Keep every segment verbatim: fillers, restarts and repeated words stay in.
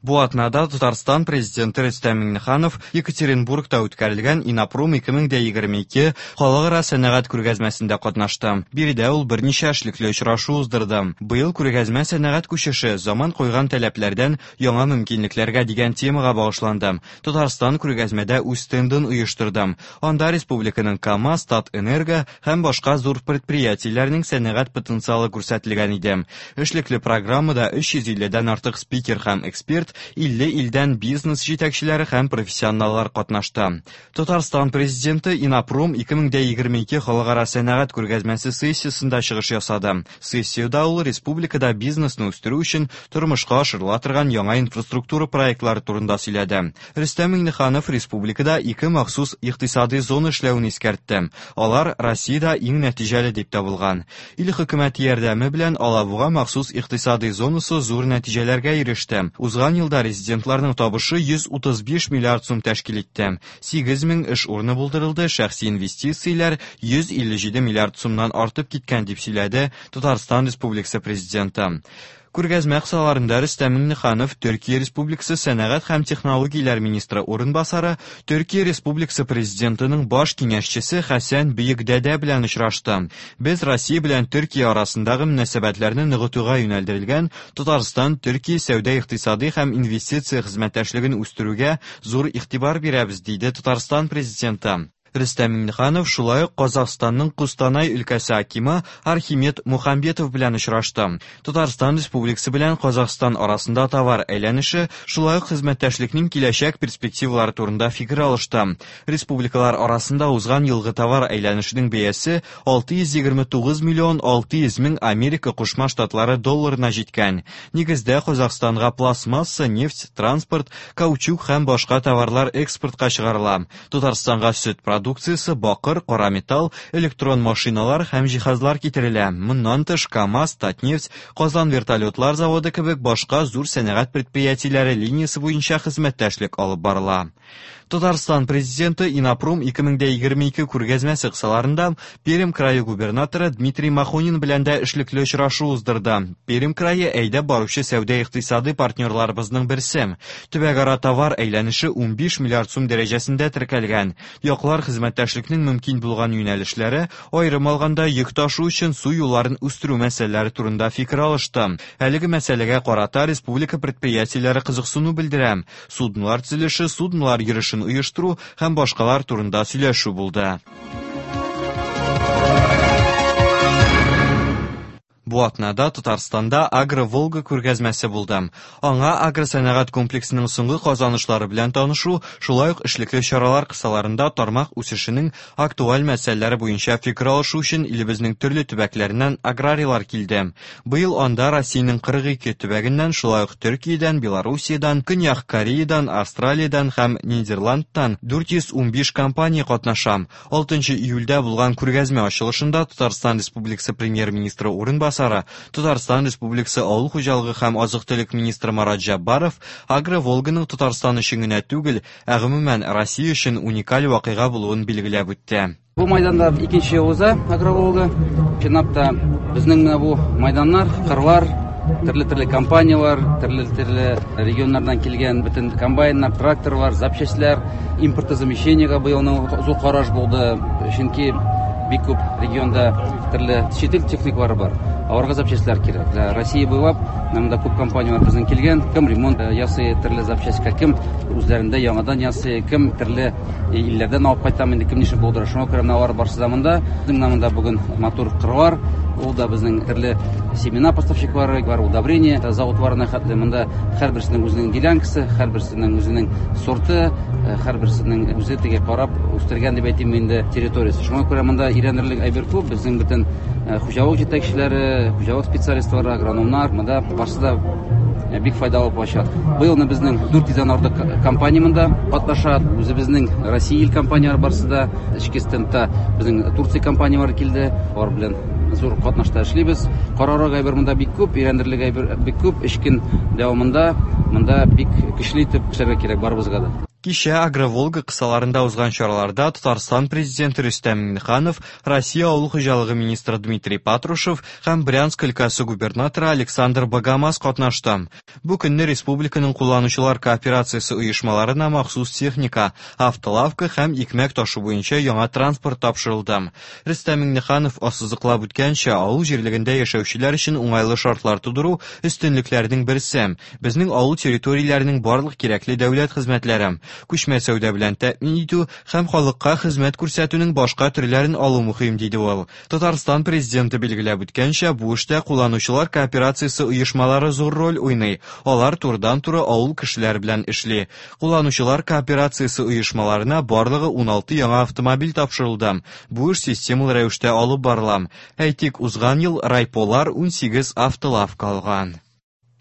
Бу атнада Татарстан президенты Рөстәм Миңнеханов Екатеринбургта үткәрелгән Иннопром ике мең егерме ике халыкара сәнәгать күргәзмәсендә катнашты. Биредә ул берничә эшлекле очрашу уздырды. Быел күргәзмә сәнәгать күчеше заман куйган таләпләрдән яңа мөмкинлекләргә дигән темага багышланды. Татарстан күргәзмәдә үз стендын оештырды. Анда республиканың КАМАЗ, Татэнерго һәм башка зур предприятиеләрнең сәнәгать потенциалы күрсәтелгән иде. Эшлекле программада өч йөз илледән артык спикер һәм эксперт, илле илдән бизнес җитәкчеләре һәм профессионаллар катнашты. Татарстан президенты Иннопром ике мең егерме ике халыкара сәнәгать күргәзмәсе сессиясендә чыгыш ясады. Сессиядә ул республикада бизнесны үстерү өчен тормышка ашырыла торган яңа инфраструктура проектлары турында сөйләде. Рөстәм Миңнеханов республикада ике махсус икътисади зона эшләвен искәртте. Алар Россиядә иң нәтиҗәле дип табылган. Ил хөкүмәте ярдәме белән Алабуга махсус икътисади зонасы зур нәтиҗәләргә иреште. Узган елда резидентларның табышы йөз утыз биш миллиард сум тәшкил итте. Сигез мең эш урыны булдырылды, шәхси инвестицияләр йөз илле җиде миллиард сумнан артып киткән дип сөйләде Татарстан Республикасы президенты. Күргәзмә кысаларында Рөстәм Миңнеханов Төркия Республикасы сәнәгать һәм технологияләр министры урынбасары, Төркия Республикасы президентының баш киңәшчесе Хәсән Бөекдәдә белән очрашты. Без Россия белән Төркия арасындагы мөнәсәбәтләрне ныгытуга юнәлдерелгән Татарстан Төркия сәүдә икътисади һәм инвестиция хезмәттәшлеген үстерүгә зур игътибар бирәбез, диде Татарстан президенты. Рөстәм Миңнеханов шулай ук Казахстанның Кустанай өлкәсе акимы Архимед Мухамбетов белән очрашты. Татарстан Республикасы белән Казахстан арасында товар әйләнеше, шулай ук хезмәттәшлекнең киләчәк перспективалары турында фикер алышты. Республикалар арасында узган елгы товар әйләнешенең бәясе алты йөз егерме тугыз миллион алты йөз мең Америка Кушма Штатлары долларына җиткән. Нигездә Казахстанга пластмасса, нефть, транспорт, каучук һәм башка товарлар экспортка чыгарыла. Татарстанга сөт продукциясе, бакыр, кара металл, электрон машиналар һәм җиһазлар китерелә. Моннан тыш КАМАЗ, Татнефть, Казан вертолетлар заводы кебек башка зур сәнәгать предприятиеләре линиясе буенча хезмәттәшлек алып барыла. Татарстан президенты Иннопром ике мең егерме ике күргәзмәсе кысаларында Пермь крае губернаторы Дмитрий Махонин белән дә эшлекле очрашу уздырды. Пермь крае әйдәп баручы сәүдә икътисади партнерларыбызның берсе. Төбәкара товар әйләнеше унбиш миллиард сум дәрәҗәсендә теркәлгән. Яклар хезмәттәшлекнең мөмкин булган юнәлешләре, аерым алганда йөк ташу өчен су юлларын үстерү мәсьәләләре турында фикер алышты. Әлеге мәсьәләгә карата республика предприятиеләре кызыксыну белдерә. Суднолар төзелеше, суднолар йөрешен оештыру һәм башкалар турында сөйләшү булды. Бу атнада Татарстанда Агро-Волга күргәзмәсе булды. Аңа агросәнәгать комплексының соңгы казанышлары белән танышу, шулай ук эшлекле чаралар кысаларында тармак үсешенең актуаль мәсьәләләре буенча фикер алышу өчен илебезнең төрле төбәкләреннән аграрийлар килде. Быел анда Россиянең кырык ике төбәгеннән, шулай ук Төркиядән, Белоруссиядән, Көньяк Кореядан, Австралиядән һәм Нидерландтан дүрт йөз унбиш компания катнаша. Алтынчы июльдә булган күргәзмә ачылышында Татарстан Республикасы премьер-министры урынбасары, Татарстан Республикасы Авыл хуҗалыгы һәм азык-төлек министры Марат Җәббаров Агро-Волганың Татарстан өчен генә түгел, ә гомумән Россия өчен уникаль вакыйга булуын билгеләп үтте. Бу майданда икенче ел уза Агро-Волга. Чынлап та безнең менә бу майданнар, кырлар, төрле-төрле компанияләр, төрле-төрле регионнардан килгән бөтен комбайннар, тракторлар, запчастьләр, импортозамещениегә быелның зур караш булды, чөнки бик күп регионда төрле чит ил техникалары бар. Аларга запчастьләр кирәк. Ә Россия буйлап монда күп компанияләр безнең килгән, кем ремонт ясый төрле запчастька, кем үзләрендә яңадан ясый, кем төрле илләрдән алып кайтам инде, кем ничек булдыра. Шуңа күрә менә алар барысы да монда. Безнең менә монда бүген матур кырлар, ул да безнең төрле семена поставщиклары бар, удобрение заводларына хәтле монда һәрберсенең үзенең делянкасы, һәрберсенең үзенең сорты, һәрберсенең үзе теге карап үстергән дип әйтим инде территориясе. Шуңа күрә монда өйрәнерлек әйбер күп. Безнең бөтен хуҗалык җитәкчеләре, хуҗалык специалистлары, агрономнар монда барысы да бик файдалы булачак. Быелны безнең дүрт йөздән артык компания монда катнаша. Үзебезнең Россия ил компанияләре барысы да, эчке стендта безнең Турция компанияләре килде. Алар белән зур катнашта эшлибез. Карарга әйбер монда бик күп, өйрәнерлек әйбер бик күп. Эш көн дәвамында монда бик көчле итеп эшләргә кирәк барыбызга да. Кичә Агроволга кысаларында узган чараларда Татарстан президенты Рөстәм Миңнеханов, Россия авыл хуҗалыгы министры Дмитрий Патрушев һәм Брянск өлкәсе губернаторы Александр Богомаз катнашты. Бу көнне республиканың кулланучылар кооперациясе оешмаларына махсус техника, автолавка һәм икмәк ташу буенча яңа транспорт тапшырылды. Рөстәм Миңнеханов ассызыклап үткәнчә, авыл җирлегендә яшәүчеләр өчен уңайлы шартлар тудыру өстенлекләрнең берсе. Безнең авыл территорияләренең барлык кирәкле дәүләт хезмәтләре, күчмә сәүдә белән тәэмин итү һәм халыкка хезмәт күрсәтүнең башка төрләрен алу мөһим, диде ул. Татарстан президенты билгеләп үткәнчә, бу эштә кулланучылар кооперациясе оешмалары зур роль уйный. Алар турыдан-туры авыл кешеләре белән эшли. Кулланучылар кооперациясе оешмаларына барлыгы уналты яңа автомобиль тапшырылды. Бу эш системалы рәвештә алып барыла. Әйтик, узган ел райполар унсигез автолавка алган.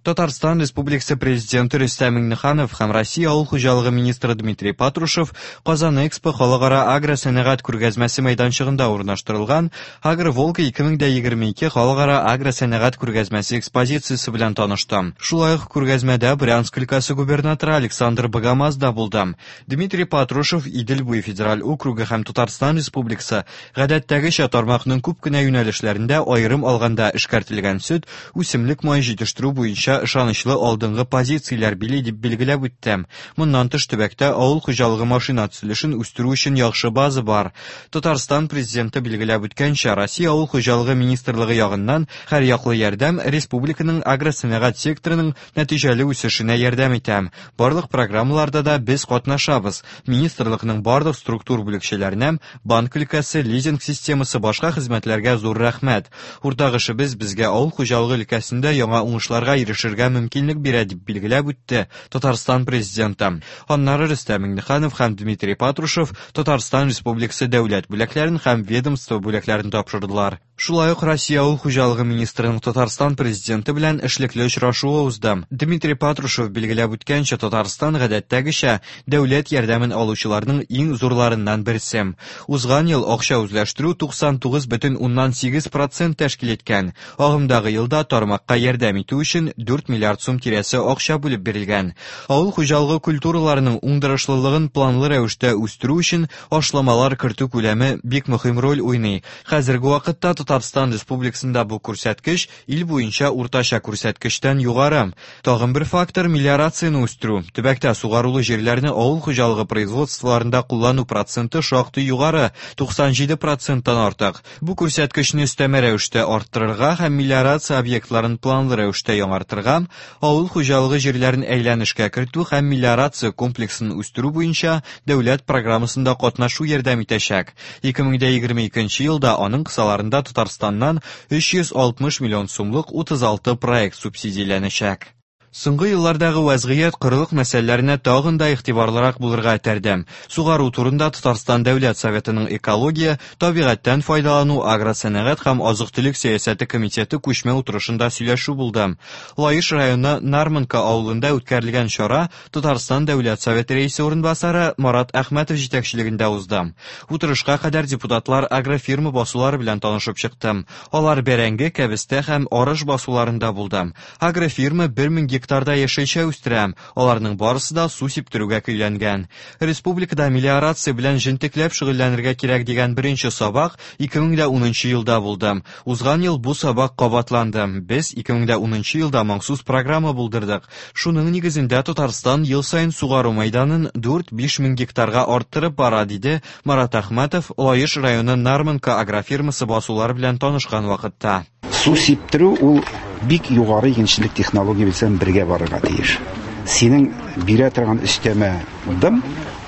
Татарстан Республикасы президенты Рөстәм Миңнеханов һәм Россия авыл хуҗалыгы министры Дмитрий Патрушев Казан Экспо халыкара агросәнәгать күргәзмәсе мәйданчыгында урнаштырылган Агроволга ике мең дә егерме ике халыкара агросәнәгать күргәзмәсе экспозициясе белән танышты. Шулай ук күргәзмәдә Брянск өлкәсе губернаторы Александр Богомаз да булды. Дмитрий Патрушев Идел буе федераль округы һәм Татарстан Республикасы гадәттәгечә тармакның күп кенә юнәлешләрендә аерым алганда эшкәртелгән сөт, үсемлек мае җитештерү буенча ышанычлы алдынгы позицияләр били дип билгеләп үтте. Моннан тыш төбәктә авыл хуҗалыгы машина төзелешен үстерү өчен яхшы база бар. Татарстан президенты билгеләп үткәнчә, Россия авыл хуҗалыгы министрлыгы ягыннан һәр яклы ярдәм республиканың агросәнәгать секторының нәтиҗәле үсешенә ярдәм итә. Барлык программаларда да без катнашабыз. Министрлыкның барлык структур бүлекчәләренә, банк өлкәсе, лизинг системасы, башка хезмәтләргә зур рәхмәт. Уртак эшебез безгә авыл хуҗалыгы өлкәсендә яңа уңышларга ирешергә мөмкинлек бирә, дип билгеләп үтте Татарстан президенты. Аннары Рөстәм Миңнеханов һәм Дмитрий Патрушев Татарстан Республикасы дәүләт бүләкләрен һәм ведомство бүләкләрен тапшырдылар. Шулай ук Россия авыл хуҗалыгы министрының Татарстан президенты белән эшлекле очрашуы узды. Дмитрий Патрушев билгеләп үткәнчә, Татарстан гадәттәгечә дәүләт ярдәмен алучыларның иң зурларыннан берсе. Узган ел акча үзләштерү туксан тугыз бөтен уннан сигез процент тәшкил иткән. Агымдагы елда тармакка ярдәм итү өчен дүрт миллиард сум тирәсе акча бүлеп бирелгән. Авыл хуҗалыгы культураларының уңдырышлылыгын планлы рәвештә үстерү өчен ашламалар кертү күләме бик мөһим роль уйный. Хәзерге вакытта Татарстан Республикасында бу күрсәткеч ил буенча уртача күрсәткечтән югары. Тагын бер фактор мелиорацияне үстерү. Төбәктә сугарулы җирләрне авыл хуҗалыгы производстволарында куллану проценты шактый югары, туксан җиде проценттан артык. Бу күрсәткечне өстәмә рәвештә арттырырга һәм мелиорация объектларын планлы рәвештә яңартырга, авыл хуҗалыгы җирләрен әйләнешкә кертү һәм мелиорация комплексын үстерү буенча дәүләт программасында катнашу ярдәм итәчәк. Ике мең дә егерме икенче елда аның кысаларында Татарстаннан өч йөз алтмыш миллион сумлык утыз алты проект субсидияләнәчәк. Соңгы еллардагы вазгыять корылык мәсьәләләренә тагын да игътибарлырак булырга этәрде. Сугару турында Татарстан Дәүләт Советының экология, табигатьтән файдалану, агросәнәгать һәм азык-төлек сәясәте комитеты күчмә утырышында сөйләшү булды. Лаеш районы Нармонка авылында үткәрелгән чара Татарстан Дәүләт Советы рәисе урынбасары Марат Әхмәтов җитәкчелегендә узды. Утырышка кадәр депутатлар агрофирма басулары белән танышып чыкты. Алар бәрәңге, кәбестә һәм арыш басуларында булды. Агрофирма бер мең гектарда яшелчә үстерә. Аларның барысы да су сиптерүгә көйләнгән. Республикада мелиорация белән җентекләп шөгыльләнергә кирәк дигән беренче сабак ике мең дә унынчы елда булды. Узган ел бу сабак кабатланды. Без ике мең дә унынчы елда махсус программа булдырдык. Шуның нигезендә Татарстан ел саен сугару мәйданын дүрт-биш мең гектарга арттырып бара, диде Марат Әхмәтов Лаеш районы Нармонка агрофирмасы басулары белән танышкан вакытта. Су сиптерү ул бик югары игенчелек технология белән бергә барырга тиеш. Синең бирә торган өстәмә дым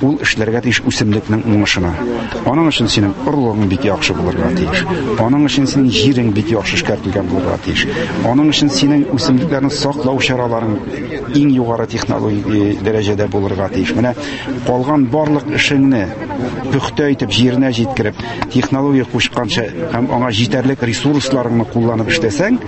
ул эшләргә тиеш үсемлекнең уңышына. Аның өчен синең орлыгың бик яхшы булырга тиеш. Аның өчен синең җирең бик яхшы эшкәртелгән булырга тиеш. Аның өчен синең үсемлекләрне саклау чараларың иң югары технологик дәрәҗәдә булырга тиеш. Менә калган барлык эшеңне пөхтә итеп җиренә җиткереп, технология кушканча һәм аңа җитәрлек ресурсларыңны кулланып эшләсәң,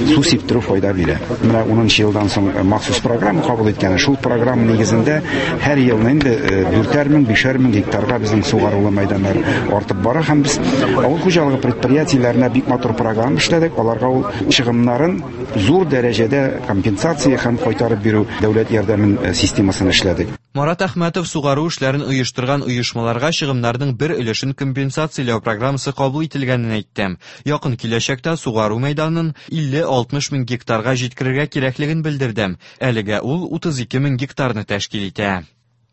су сиптерү файда бирә. Менә унынчы елдан соң махсус программа кабул иткән. Шул программа нигезендә һәр елны инде дүртәр мең, бишәр мең гектарга безнең сугарулы мәйданнар артып бара һәм без авыл хуҗалыгы предприятиеләренә бик матур программа эшләдек. Аларга ул чыгымнарын зур дәрәҗәдә компенсация һәм кайтарып бирү дәүләт ярдәмен системасын эшләдек. Марат Әхмәтов сугару эшләрен оештырган оешмаларга чыгымнарның бер өлешен компенсацияләү программасы кабул ителгәнен әйтте. Якын киләчәктә сугару мәйданын илле-алтмыш мең гектарга җиткерергә кирәклеген белдерде. Әлегә ул утыз ике мең гектарны тәшкил итә.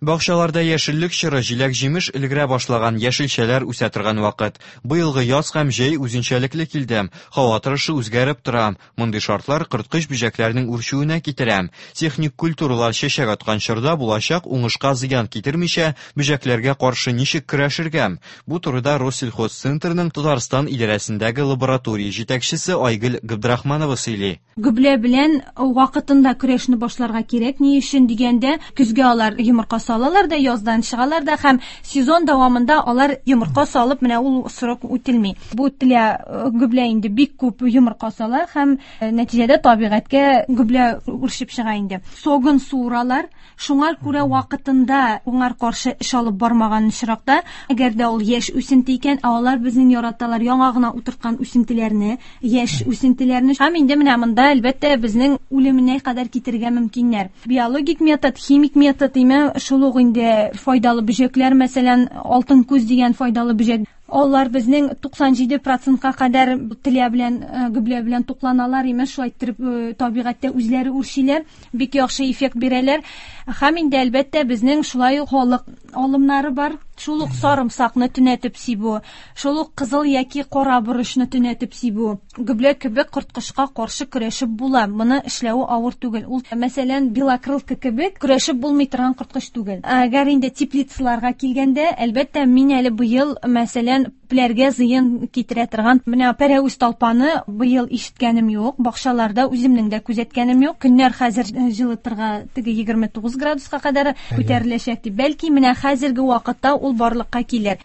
Бакчаларда яшеллек чоры, җиләк-җимеш өлгерә башлаган, яшелчәләр үсә торган вакыт. Быелгы яз һәм җәй үзенчәлекле килде. Һава торышы үзгәреп тора. Мондый шартлар корткыч бөҗәкләрнең үрчүенә китерә. Техник культуралар чәчәк аткан чорда булачак уңышка зыян китермичә, бөҗәкләргә каршы ничек көрәшергә? Бу турыда Россельхозцентрның Татарстан идарәсендәге лаборатория җитәкчесе Айгөл Габдрахманова сөйли. Гөблә белән вакытында көрәшне башларга кирәк. Ни өчен дигәндә, көзгә алар йомырка салалар да, яздан чыгалар да һәм сезон дәвамында алар йомырка салып, менә ул срок үтелми. Бу телә гөблә инде бик күп йомырка сала һәм нәтиҗәдә табигатькә гөблә үрчеп чыга инде. Согын суыралар. Шуңа күрә вакытында уңар каршы эш алып бармаган очракта, әгәр дә ул яшь үсенте икән, ә алар безнең яраталар яңа гына утырткан үсентеләрне, яшь үсентеләрне. Һәм инде менә монда әлбәттә безнең үлеменә кадәр китерергә мөмкиннәр. Биологик метод, химик метод, име шул ук инде файдалы бөҗәкләр, мәсәлән, алтын күз дигән файдалы бөҗәк. Алар безнең туксан җиде процентка кадәр телә белән, гөблә белән тукланалар, имеш, шулай иттереп табигатьтә үзләре үрчиләр, бик яхшы эффект бирәләр. Һәм инде әлбәттә безнең шулай ук халык алымнары бар. Шул ук сарымсакны төнәтеп сибү, шул ук кызыл яки кара борычны төнәтеп сибү. Гөблә кебек корткычка каршы көрәшеп була. Моны эшләве авыр түгел. Ул, мәсәлән, белокрылка кебек көрәшеп булмый торган корткыч түгел. Әгәр инде теплицаларга килгәндә, әлбәттә, мин әле быел, мәсәлән, күпләргә зыян китерә торган менә пәрәвез талпаны быел ишеткәнем юк, бакчаларда үземнең дә күзәткәнем юк. Көннәр хәзер җылытырга теге егерме тугыз градуска кадәр күтәреләчәк дип. Бәлки менә хәзерге вакытта ул барлыкка килер.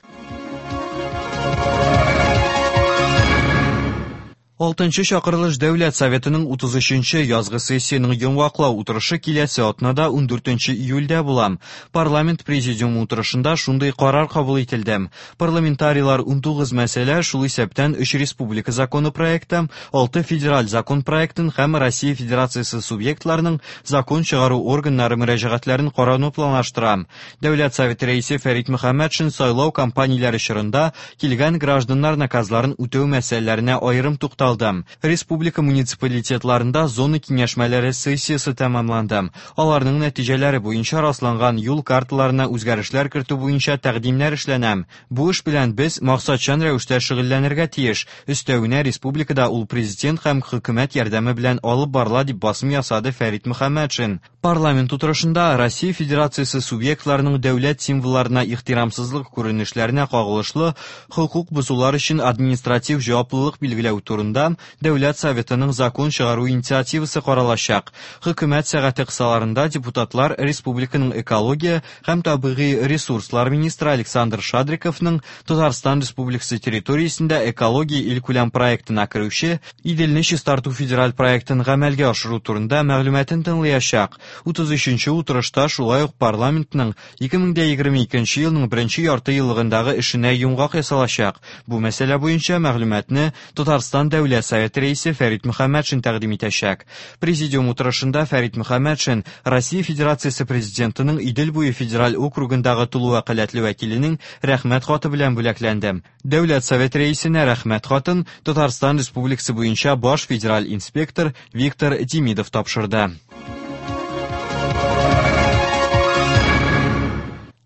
Алтынчы чакырылыш Дәүләт Советының утыз өченче язгы сессияның йомгаклау утырышы киләсе атнада ундүртенче июльдә була. Парламент президиумы утырышында шундый карар кабул ителде. Парламентарийлар унтугыз мәсьәлә, шул исәптән өч республика законы проекты, алты федераль закон проектын һәм Россия Федерациясе субъектларының закон чыгару органнары мөрәҗәгатьләрен карауны планлаштыра. Дәүләт Советы рәисе Фәрит Мөхәммәтшин сайлау кампанияләре чорында килгән гражданнар наказларын үтәү мәсьәләләренә аерым тукталды. Республика муниципалитетларында зона киңәшмәләре сессиясе тәмамланды. Аларның нәтиҗәләре буенча расланган юл карталарына үзгәрешләр кертү буенча тәкъдимнәр эшләнә. Бу эш белән без максатчан рәвештә шөгыльләнергә тиеш. Өстәвенә республикада ул президент һәм хөкүмәт ярдәме белән алып барыла, дип басым ясады Фәрит Мөхәммәтшин. Парламент утырышында Россия Федерациясе субъектларының дәүләт символларына ихтирамсызлык күренешләренә кагылышлы хокук бозулар өчен административ җаваплылык билгеләү турында Дәүләт Советының закон чыгару инициативасы каралачак. Хөкүмәт сәгате кысаларында депутатлар республиканың экология һәм табигый ресурслар министры Александр Шадриковның Татарстан Республикасы территориясендә экология илкүләм проектына керүче Иделне чистарту федераль проектын гамәлгә ашыру турында мәгълүматын тыңлаячак. Утыз өченче утырышта шулай ук парламентның ике мең дә егерме икенче елның беренче ярты еллыгындагы эшенә йомгак ясалачак. Бу мәсьәлә буенча мәгълүматны Татарстан Дәүләт Советы рәисе Фәрит Мөхәммәтшин тәкъдим итәчәк. Президиум утырышында Фәрит Мөхәммәтшин Россия Федерациясе президентының Идел буе федераль округындагы тулы вәкаләтле вәкиленең рәхмәт хаты белән бүләкләнде. Дәүләт Советы рәисенә рәхмәт хатын Татарстан Республикасы буенча баш федераль инспектор Виктор Демидов тапшырды.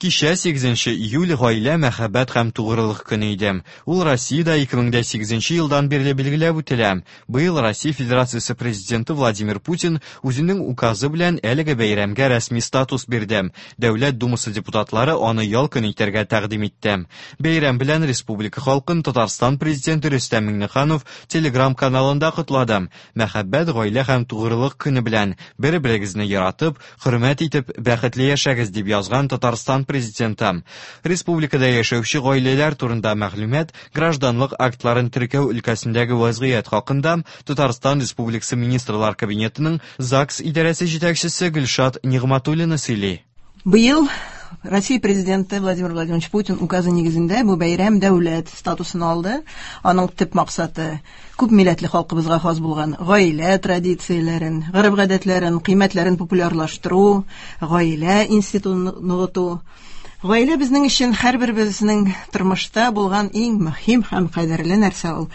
Кичә сигезенче июль гаилә, мәхәббәт һәм тугрылык көне иде. Ул Россиядә ике мең дә сигезенче елдан бирле билгеләп үтелә. Быел Россия Федерациясе президенты Владимир Путин үзенең указы белән әлеге бәйрәмгә рәсми статус бирде. Дәүләт Думасы депутатлары аны ял көне итәргә тәкъдим итте. Бәйрәм белән республика халкын Татарстан президенты Рөстәм Миңнеханов Телеграм каналында котлады. Мәхәббәт, гаилә һәм тугрылык көне белән бер-берегезне яратып, хөрмәт итеп, бәхетле яшәгез, дип язган Татарстан президенты. Республикада яшәүче гаиләләр турында мәгълүмат гражданлык актларын теркәү өлкәсендәге вазгыять хакында Татарстан Республикасы Министрлар Кабинетының ЗАГС идарәсе җитәкчесе Гөлшат Нигъматуллина сөйли. Быел Россия президенты Владимир Владимирович Путин указы нигезендә бу бәйрәм дәүләт статусын алды. Аның төп максаты күп милләтле халкыбызга хас булган гаилә традицияләрен, гореф-гадәтләрен, кыйммәтләрен популярлаштыру, гаилә институтын ныгыту. Гаилә безнең өчен һәрберебезнең тормышта булган иң мөһим һәм кадерле нәрсә ул.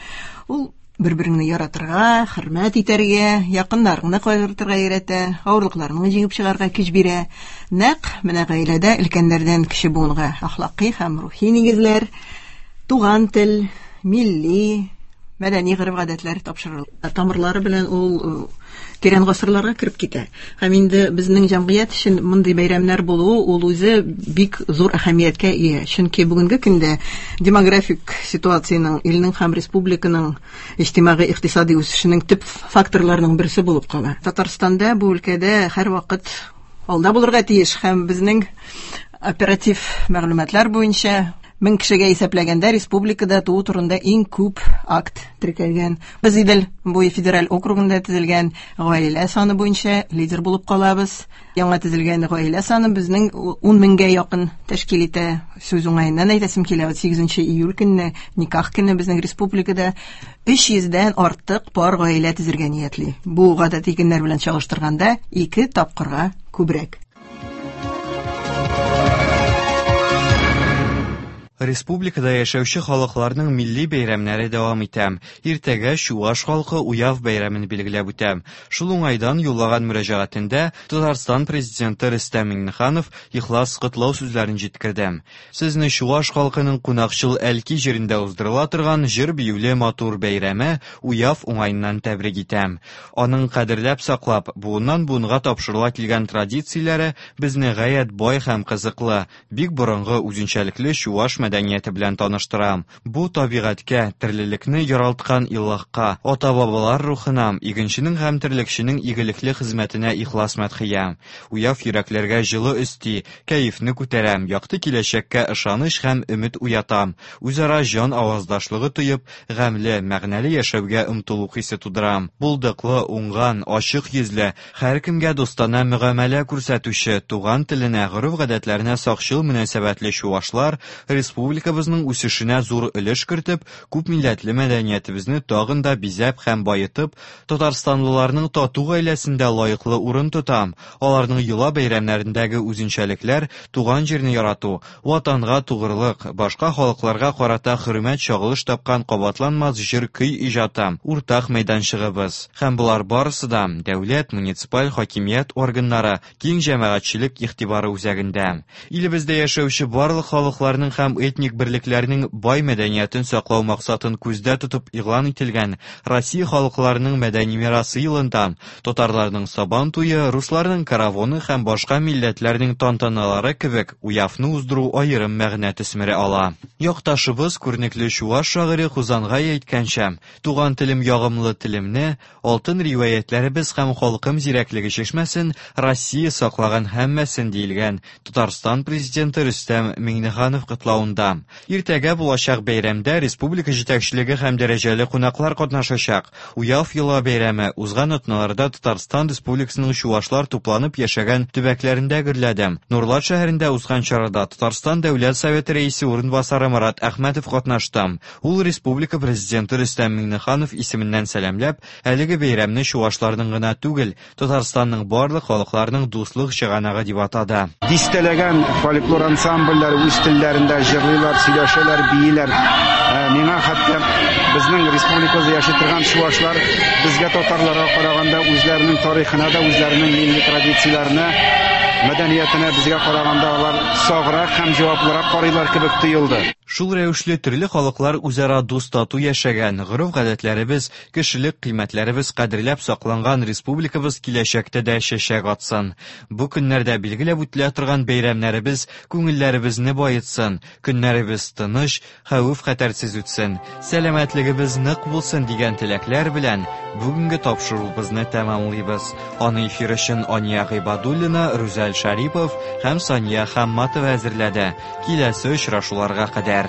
Ул бер-береңне яратырга, хөрмәт итәргә, якыннарыңны кайгыртырга өйрәтә, авырлыкларны җиңеп чыгарга көч бирә. Нәкъ менә гаиләдә өлкәннәрдән кече буынга әхлакый һәм рухи нигезләр, туган тел, милли, мәдәни гореф-гадәтләр тапшырыла. Тамырлары белән ул тирән гасырларга кереп китә. Һәм инде безнең җәмгыять өчен мондый бәйрәмнәр булуы ул үзе бик зур әһәмияткә ия. Чөнки бүгенге көндә демографик ситуациянең, илнең һәм республиканың иҗтимагый икътисади үсешенең төп факторларының берсе булып кала. Татарстанда бу өлкәдә һәрвакыт алда булырга тиеш һәм безнең оператив мәгълүматлар буенча мең кешегә исәпләгәндә республикада туу турында иң күп акт теркәлгән. Без Идел буе федераль округында төзелгән гаилә саны буенча лидер булып калабыз. Яңа төзелгән гаилә саны безнең ун меңгә якын тәшкил итә. Сүз уңаеннан әйтәсем килә, сигезенче июль көнне, никах көне безнең республикада өч йөздән артык пар гаилә төзергә ниятли. Бу гадәти көннәр белән чагыштырганда ике тапкырга күбрәк. Республикада яшәүче халыкларның милли бәйрәмнәре дәвам итә. Иртәгә чуаш халкы Уяв бәйрәмен билгеләп үтә. Шул уңайдан юллаган мөрәҗәгатендә Татарстан президенты Рөстәм Миңнеханов ихлас котлау сүзләрен җиткерде. Сезне чуаш халкының кунакчыл Әлки җирендә уздырыла торган җыр-биюле матур бәйрәме Уяв уңаеннан тәбрик итәм. Аның кадерләп саклап, буыннан буынга тапшырыла килгән традицияләре безне гаять бай һәм кызыклы, бик борынгы үзенчәлекле чуаш мәдәнияте белән таныштыра. Бу табигатькә, терлекне яралткан Илаһка, ата-бабалар рухына, игенченең һәм терлекченең игелекле хезмәтенә ихлас мәдхия. Уяв йөрәкләргә җылы өсти, кәефне күтәрә, якты киләчәккә ышаныч һәм өмет уята. Үзара җан аваздашлыгы тоеп, гамьле, мәгънәле яшәүгә омтылу хисе тудыра. Булдыклы, уңган, ачык йөзле, һәркемгә дустанә мөгамәлә күрсәтүче, туган теленә, гореф-гадәтләренә сакчыл мөнәсәбәтле чуашлар республикабызның үсешенә зур өлеш кертеп, күп милләтле мәдәниятебезне тагын да бизәп һәм баетып, татарстанлыларның тату гаиләсендә лаеклы урын тота. Аларның йола бәйрәмнәрендәге үзенчәлекләр, туган җирне ярату, ватанга тугрылык, башка халыкларга карата хөрмәт чагылыш тапкан кабатланмас җыр-көй иҗаты, уртак мәйданчыгыбыз. Һәм болар барысы да дәүләт, муниципаль хакимият органнары, киң җәмәгатьчелек игътибары үзәгендә. Илебездә яшәүче барлык халыкларның һәм этник берлекләрнең бай мәдәниятен саклау максатын күздә тотып игълан ителгән Россия халыкларының мәдәни мирасы елында татарларның Сабан туе, русларның каравоны һәм башка милләтләрнең тантаналары кебек уявны уздыру аерым мәгънә төсмере ала. Якташыбыз күренекле чуаш шагыйре Хузангай әйткәнчә, туган телем ягымлы телемне, алтын риваятләребез һәм халкым зирәклеге чишмәсен Россия саклаган һәммәсен диелгән Татарстан президенты Рөстәм Миңнеханов котлавында. Иртәгә булачак бәйрәмдә республика җитәкчелеге һәм дәрәҗәле кунаклар катнашачак. Уяв йола бәйрәме узган атналарда Татарстан Республикасының чуашлар тупланып яшәгән төбәкләрендә гөрләде. Нурлат шәһәрендә узган чарада Татарстан Дәүләт Советы рәисе урынбасары Марат Әхмәтов катнашты. Ул республика президенты Рөстәм Миңнеханов исеменнән сәламләп, әлеге бәйрәмне чуашларның гына түгел, Татарстанның барлык халыкларының дуслык чыганагы дип атады. Дистәләгән фольклор ансамбльләр үз телләрендә җырлыйлар, сөйләшәләр, бииләр. Миңа хәтта безнең республикада яши торган чуашлар безгә татарларга караганда үзләренең тарихына да, үзләренең милли традицияләренә, мәдәниятенә безгә караганда алар саграк һәм җаваплырак карыйлар кебек тоелды. Шул рәвешле төрле халыклар үзара дус-тату яшәгән, гореф-гадәтләребез, кешелек кыйммәтләребез кадерләп сакланган республикабыз киләчәктә дә чәчәк атсын. Бу көннәрдә билгеләп үтелә торган бәйрәмнәребез күңелләребезне баетсын, көннәребез тыныч, хәвеф-хәтәрсез үтсен, сәламәтлегебез нык булсын дигән теләкләр белән бүгенге тапшыруыбызны тәмамлыйбыз. Аны эфир өчен Ания Гыйбадуллина, Рүзәл Шарипов һәм Сания Хамматова әзерләде. Киләсе очрашуларга кадәр.